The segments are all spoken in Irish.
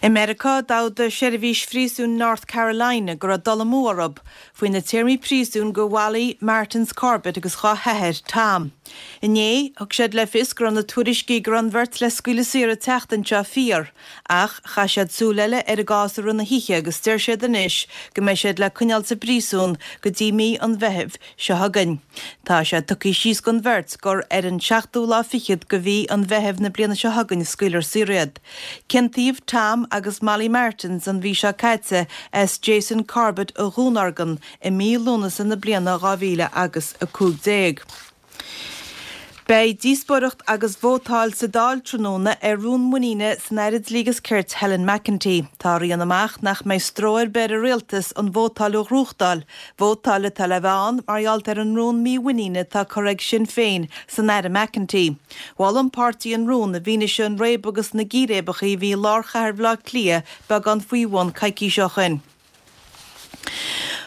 I Meiriceá, d'fhógair seirbhís phríosúin North Carolina go raibh dul amú orthu faoi na téarmaí príosúin go Molly Martens Corbett agus dhá hathair, Tom. Inné, thug siad le fios go raibh na tuairiscí go raibh an bheirt le scaoileadh saor an tseachtain seo fíor, ach chaith siad súil eile ar an gcás i rith na hoíche agus deir siad anois go mbeidh siad le coinneáil sa bpríosún go dtí mí an Mheithimh seo chugainn. Tá sé tugtha síos don bheirt gur ar an seachtú lá fichead de mhí an Mheithimh na bliana seo chugainn a scaoilfear saor iad. Ciontaíodh Tom agus Molly Martens an mhí seo caite as Jason Corbett a dhúnorgain i mí Lúnasa na bliana 2015. Beidh díospóireacht agus vótáil sa Dáil tráthnóna ar rún muiníne san Aire Dlí agus Cirt Helen McEntee. Tá a rian amach nach mbeidh stró ar bith ar an Rialtas an vótáil a ghnóthachtáil, vótáil atá le bheith ann mar gheall ar an rún mímhuiníne atá curtha ag Sinn Féin san Aire McEntee. Mhol an páirtí an rún i bhfianaise an réabadh agus na gcíréibeacha a bhí i lár chathair Bhaile Átha Cliath beagán faoi bhun coicís ó shin.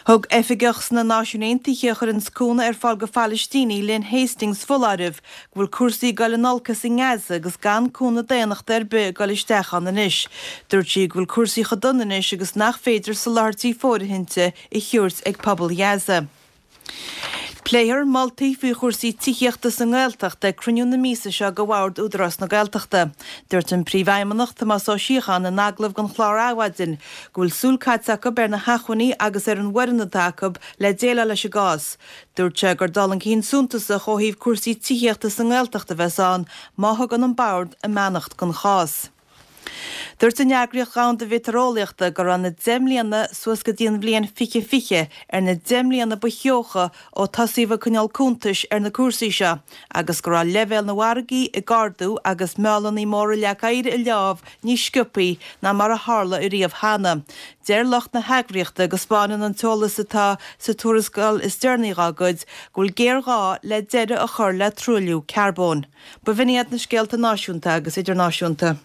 Thug oifigeach sna Náisiúin Aontaithe a chuireanns cúnamh ar fáil go Phalaistínigh, Lynn Hastings, foláireamh go bhfuil cúrsaí ag dul in olcas i nGaza agus gan cúnamh daonnachta ar bith ag dul isteach ann anois. Dúirt sí go bhfuil cúrsaí chomh dona anois agus nach féidir soláthairtí fóirithinte a thabhairt ag pobal Ghaza. Pléifear moltaí faoi chúrsaí tithíochta sa nGaeltacht ag cruinniú na míosa seo de Bhord Údarás na Gaeltachta. Dúirt an Príomhfheidhmeannach, Tomás Ó Síocháin, in agallamh don chlár Adhmhaidin, go bhfuil súil caite acu ar na hacmhainní agus ar an bhfoireann atá acu le déileáil leis an gcás. Dúirt sé gur dul chun cinn suntasach ó thaobh cúrsaí tithíochta sa nGaeltacht a bheas ann má thugann an Bord a mbeannacht don chás. Dúirt an Eagraíocht Dhomhanda Mheitéareolaíochta go raibh na 10 mbliana suas go dtí an bhliain 2020 ar na 10 mbliana ba theocha ó tosaíodh ag coinneáil cuntais ar na cúrsaí seo agus go raibh leibhéal na bhfarraigí ag ardú agus meálanna móra leac oighir ag leá níos sciobthaí ná mar a tharla ariamh cheana. Deir lucht na heagraíochta go 'spáineann an t-eolas atá sa tuarascáil is deireanaí dá gcuid go bhfuil géarghá le deireadh a chur le truailliú carbóin. B'in iad na scéalta náisiúnta agus idirnáisiúnta.